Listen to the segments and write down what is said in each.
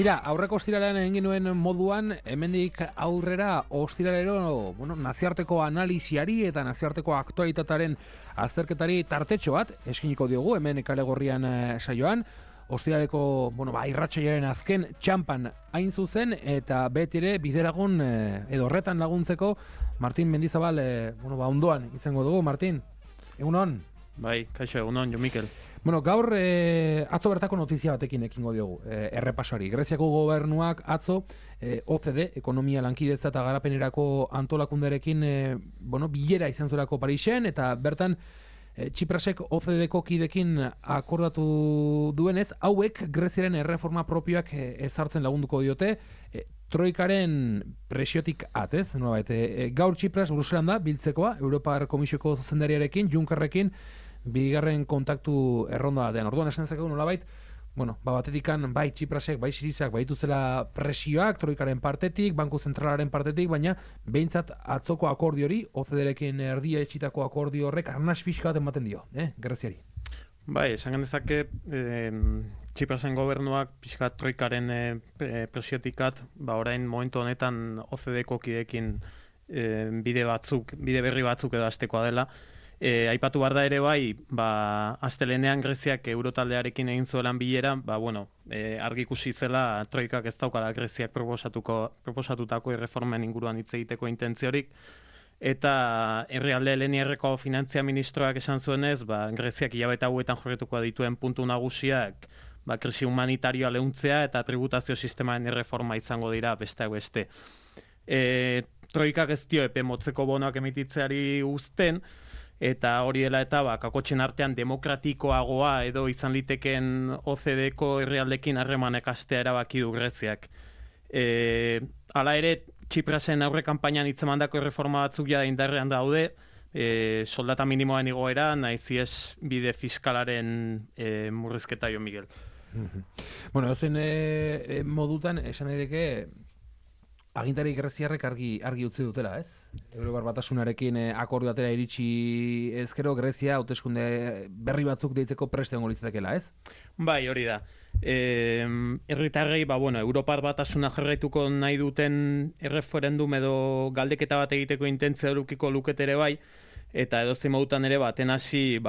Mira, aurreko ostiralean egin genuen moduan, hemendik aurrera ostiralero, nazioarteko analisiari eta nazioarteko aktualitatearen azterketari tartetxo bat eskiniko diogu hemen Kale Gorrian saioan. Ostiraleko, irratsaiaren azken txampan hain zuzen eta beti ere bideragun edo horretan laguntzeko Martin Mendizabal ondoan izango dugu. Martin, egunon? Bai, kaixo, egunon, Jo Mikel. Gaur atzo bertako notizia batekin ekingo diogu errepasoari. Greziako gobernuak atzo OCDE, Ekonomia Lankidetza eta Garapenerako antolakundearekin bilera izan zuelako Parisen, eta bertan Txiprasek OCDEko kidekin akordatu duenez, hauek Greziaren erreforma propioak ezartzen lagunduko diote, Troikaren presiotik atez, gaur Txipras Bruselan da biltzekoa, Europar Komisioko zuzendariarekin, Junckerrekin, bigarren kontaktu erronda den. Orduan esan dezakegu nolabait, batetikan bai Txiprasek, bai Sirizak baituztela presioak Troikaren partetik, Banku Zentralaren partetik, baina behintzat atzoko akordio hori, OCDErekin erdia etxitako akordio horrek arnas pixka bat ematen dio, Greziari. Bai, esan genezake Txiprasen gobernuak pixka Troikaren presiotikat, orain momentu honetan OCDEko kidekin bide berri batzuk edo hastekoa dela. Aipatu behar da ere bai, astelenean Greziak Eurotaldearekin egin zuelan bilera, argi ikusi zela Troikak ez daukala Greziak proposatutako erreformen inguruan hitz egiteko intentziorik, eta herrialde Leniarreko finantzia ministroak esan zuenez, Greziak hilabete hauetan jorretuko dituen puntu nagusiak krisi humanitarioa leuntzea eta tributazio sistemaren erreforma izango dira besteak beste. Troikak ez dio epe motzeko bonoak emititzeari uzten, eta hori dela eta kakotxen artean demokratikoagoa edo izan liteken OCDEko herrialdekin harremanek astea erabaki du Greziak. Hala ere, Txiprasen aurre kanpainan hitzemandako erreforma batzuk jada indarrean daude, soldata minimoen igoera, naiz ez bide fiskalaren murrizketa, Jo Miguel. Edozein modutan, esan daiteke agintari greziarrek argi utzi dutela, ez? Europar Batasunarekin akordio atera iritsi ezkero Grezia hauteskunde berri batzuk deitzeko prest egongo litzatekeela, ez? Bai, hori da. Herritarrei, Europar Batasuna jarraituko nahi duten erreferendum edo galdeketa bat egiteko intentzia edukiko lukete ere bai, eta edozein modutan ere baten hasi,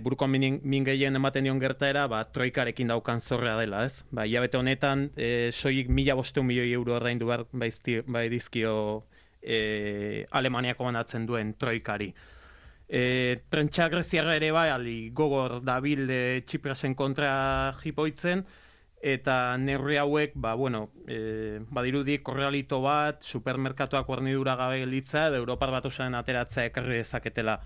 buruko min gehien ematen dion gertaera, Troikarekin daukan zorrea dela, ez? Hilabete honetan, soilik 1.500 milioi euro ordaindu behar bai dizkio Alemaniako banatzen duen Troikari. Prentsa greziarra ere bai, gogor dabil Txiprasen kontra jipoitzen, eta neurri hauek, badirudi korrealito bat, supermerkatuak hornidura gabe gelitza, edo Europar Batasunaren ateratzea ekarri dezaketela.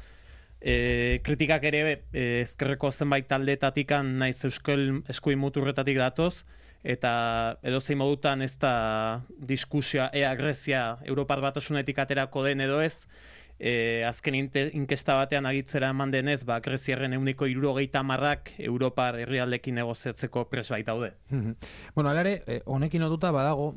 Kritikak ere ezkerreko zenbait taldetatikan naiz euskal eskuin muturretatik datoz, eta edozein modutan ez da diskusioa ea Grezia Europar Batasunetik aterako den edo ez, azken inkesta batean agitzera eman denez, Greziarren 70% Europar herrialdekin negoziatzeko pres bait daude. Hala ere, honekin lotuta badago,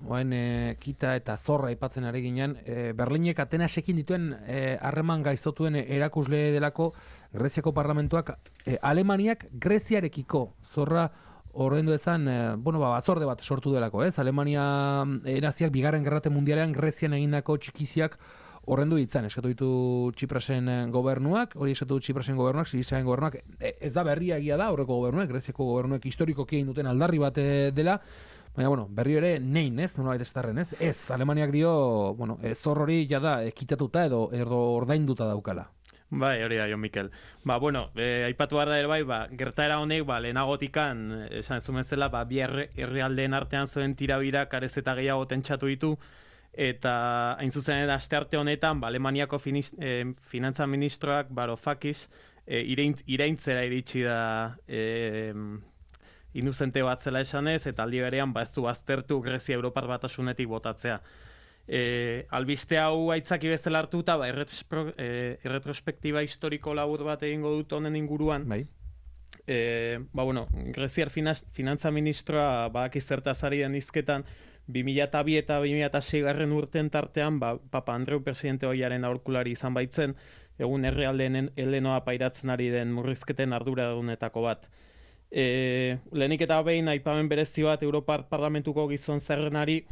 kita eta zorra aipatzen ari ginen, Berlinek Atenasekin dituen harreman gaiztotuen erakusle delako Greziako parlamentuak Alemaniak Greziarekiko zorra ordaindu ezan, batzorde bat sortu delako, ez? Alemania naziak bigarren gerrate mundialean Grezian egindako txikiziak horrendu ditzan, eskatu ditu Txiprasen gobernuak, Sirizaren gobernuak, ez da berria egia da, horreko gobernuak, Greziako gobernuak historikoki egin duten aldarri bat dela, baina, berri ere nein, ez, nolabait estarren, ez? Ez, Alemaniak dio, zor hori jada ekitatuta edo ordainduta daukala. Bai, hori da, Jo Mikel. Aipatu behar da ere bai, gertaera honek, lehenagotikan, esan ez zumezela, bi herrialdeen artean zuen tirabira karez eta gehiago tentsatu ditu, eta hain zuzen astearte honetan, Alemaniako finantza ministroak, Varoufakis, iraintzera iritsi da inuzente bat zela esanez, eta aldi berean ez du baztertu Grezia Europar Batasunetik botatzea. Albiste hau aitzaki bezala hartuta, erretrospektiba historiko labur bat egingo dut honen inguruan. Bai. Greziar finantza ministroa badaki zertaz ari den hizketan 2002 eta 2006 garren urten tartean, Papa Andreu presidente hoiaren aholkulari izan baitzen, egun herrialdeen helenoa pairatzen ari den murrizketen arduradunetako bat. Lehenik eta behin aipamen berezi bat Europar Parlamentuko gizon zerrenari,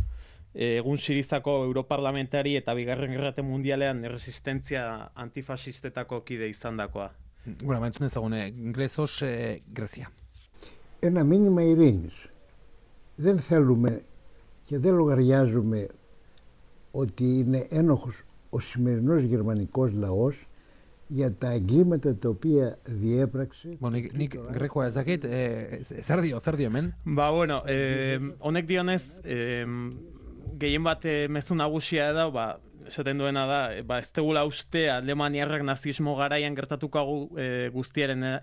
egun Sirizako europarlamentari eta Bigarren Gerra Mundialean resistentzia antifasistetako kide izandakoa. Bueno, entzun ezagune, Γκρέσος, Γκρέσια. Ένα μήνυμα ειρήνης. Δεν θέλουμε και δεν λογαριάζουμε ότι είναι ένοχος ο σημερινός γερμανικός λαός για τα εγκλήματα τα οποία διέπραξε. Bueno, nik grekoa ez dakit, zer dio hemen? Ba, bueno, honek dionez, gehien bat mezu nagusia da, esaten duena da, ez tegula uste Alemaniarrak nazismo garaian gertatuko guztiaren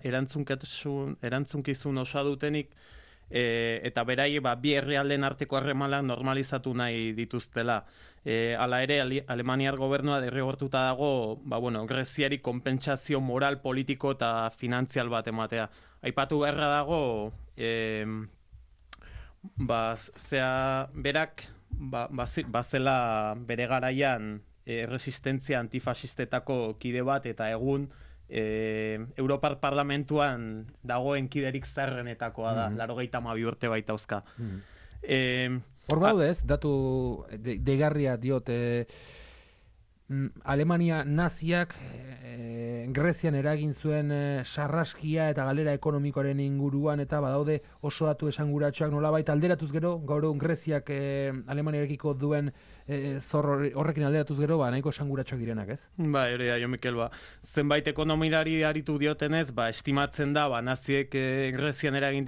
erantzukizun osa dutenik, eta berai bi herrialden arteko harremanak normalizatu nahi dituztela. Hala ere, Alemaniar gobernua derrigortuta dago, Greziari konpentsazio moral, politiko eta finantzial bat ematea. Aipatu beharra dago, berak, bazela bere garaian resistentzia antifasistetako kide bat, eta egun Europar Parlamentuan dagoen kiderik zarrenetakoa da, 92 urte baitauzka. Hor baude ez, datu deigarria diot, Alemania naziak Grezian eragin zuen sarraskia eta galera ekonomikoaren inguruan, eta badaude oso datu esanguratsuak nolabait alderatuz gero, gaur egun Greziak Alemaniarekiko duen zor horrekin alderatuz gero, nahiko esanguratsuak direnak, ez? Hori da, Jo Mikel, zenbait ekonomilari aritu diotenez, estimatzen da, naziek Grezian eragin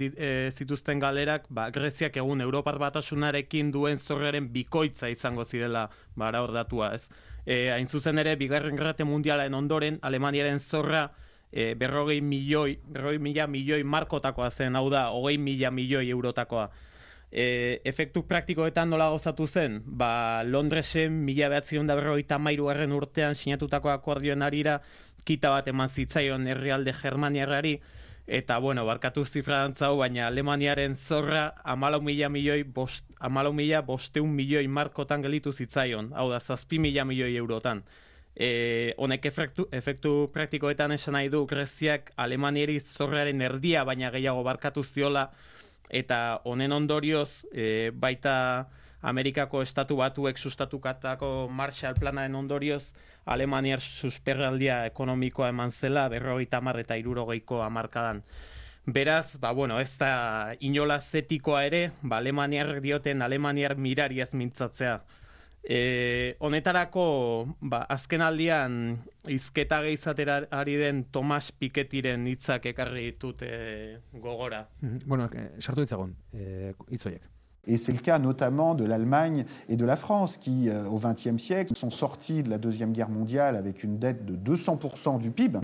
zituzten galerak, Greziak egun Europar Batasunarekin duen zorraren bikoitza izango zirela, hor datua, ez? Hain zuzen ere, Bigarren Gerra Mundialaren ondoren, Alemaniaren zorra 40 mila milioi markotakoa zen, hau da, 20 mila milioi eurotakoa. Efektu praktikoetan nola gozatu zen? Londresen 1953 urtean sinatutako akordioen arira kita bat eman zitzaion herrialde Germaniarrari, eta, barkatu zifradantzau, baina Alemaniaren zorra 14.500 milioi markotan gelitu zitzaion, hau da, 7.000 milioi eurotan. Honek efektu praktikoetan esan nahi du, Greziak Alemaniari zorraren erdia, baina gehiago barkatu ziola, eta honen ondorioz, baita Amerikako estatu batuek sustatukatako Marshall Planaren ondorioz, Alemaniar susperraldia ekonomikoa eman zela 50 eta 60ko hamarkadan. Beraz, ez da inolaz etikoa ere, Alemaniarrek dioten Alemaniar mirari ez mintzatzea. Honetarako, azken aldian hizketa gehizatera ari den Tomas Pikettyren hitzak ekarri ditut gogora. Sartu ditzagun, hitzoiek. Et c'est le cas notamment de l'Allemagne et de la France qui, au XXe siècle, sont sortis de la Deuxième Guerre mondiale avec une dette de 200% du PIB,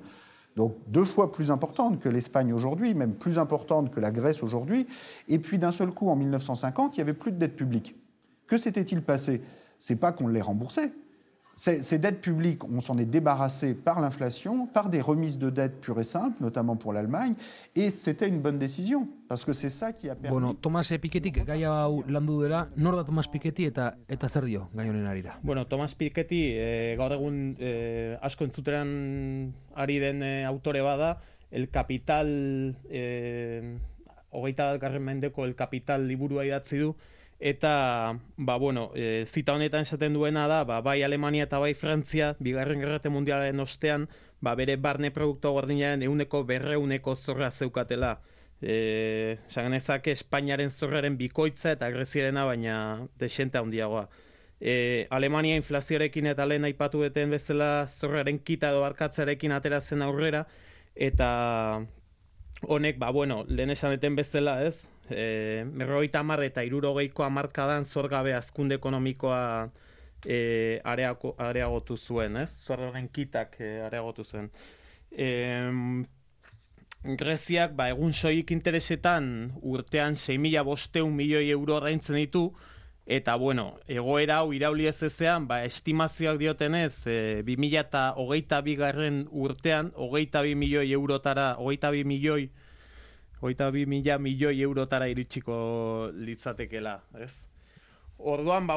donc 2 fois plus importante que l'Espagne aujourd'hui, même plus importante que la Grèce aujourd'hui. Et puis d'un seul coup, en 1950, il n'y avait plus de dette publique. Que s'était-il passé? C'est pas qu'on les remboursait. Ces dettes publiques, on s'en est débarrassé par l'inflation, par des remises de dettes pures et simples, notamment pour l'Allemagne, et c'était une bonne décision, parce que c'est ça qui a permis... Tomas Pikettyk gai hau landu dela, nor da Tomas Piketty eta zer dio gai honen arira? Tomas Piketty, gaur egun asko entzuteran ari den autore bada, El Capital, 21. mendeko El Capital liburua idatzi du, eta, zita honetan esaten duena da, bai Alemania eta bai Frantzia, Bigarren Gerra Mundialaren ostean, bere barne produktu gordinaren 100% zorra zeukatela. Saganezak Espainiaren zorraren bikoitza eta Greziarena, baina desente handiagoa. Alemania inflazioarekin eta lehen aipatu duten bezala zorraren kita edo barkatzarekin atera zen aurrera, eta honek, lehen esan deten bezala, ez? 50 eta 60ko hamarkadan zorgabe hazkunde ekonomikoa areagotu zuen, ez? Zorraren kitak areagotu zuen. Greziak, egun soilik interesetan urtean 6.500 milioi euro ordaintzen ditu, eta, egoera hau irauli ez ezean, estimazioak diotenez, 2022 urtean, 22 milioi eurotara, 22.000 milioi eurotara iritsiko litzatekela, ez? Orduan,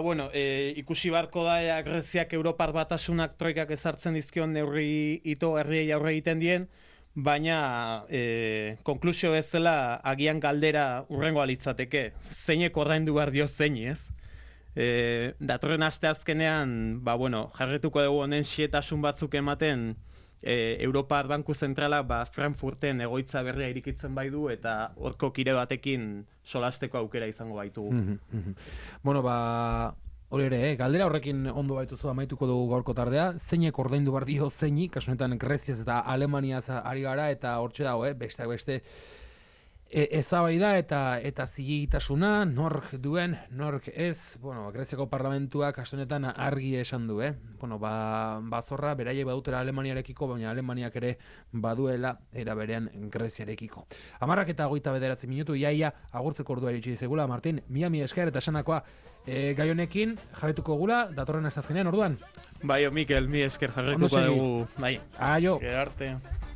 ikusi barko da Greziak Europar Batasunak troikak ezartzen dizkion neurri ito herriei aurre egiten dien, baina konklusio bezala agian galdera urrengoa litzateke, zeinek ordaindu behar dio zeini, ez? Datorren asteazkenean, jarretuko dugu honen xietasun batzuk ematen Europar Banku Zentralak Frankfurten egoitza berria irikitzen bai du eta horko kide batekin solasteko aukera izango baitugu. Hori ere, galdera horrekin ondo baituzu amaituko dugu gaurko tardea, zeinek ordaindu behar dio zeini, kasu honetan Greziaz eta Alemaniaz ari gara, eta hortxe dago, besteak beste ezabaida eta zilegitasuna, nork duen, nork ez, Greziako parlamentuak kasu honetan argi esan du, bazorra beraiek badutela Alemaniarekiko, baina Alemaniak ere baduela era berean Greziarekiko. 10:29 minutu, iaia agurtzeko ordua iritsi zegula, Martin, mila esker eta esanakoa gai honekin jarretuko gula, datorren astazkenean orduan. Bai, Mikel, mi esker jarretuko dugu. Bai. Aio. Gerarte.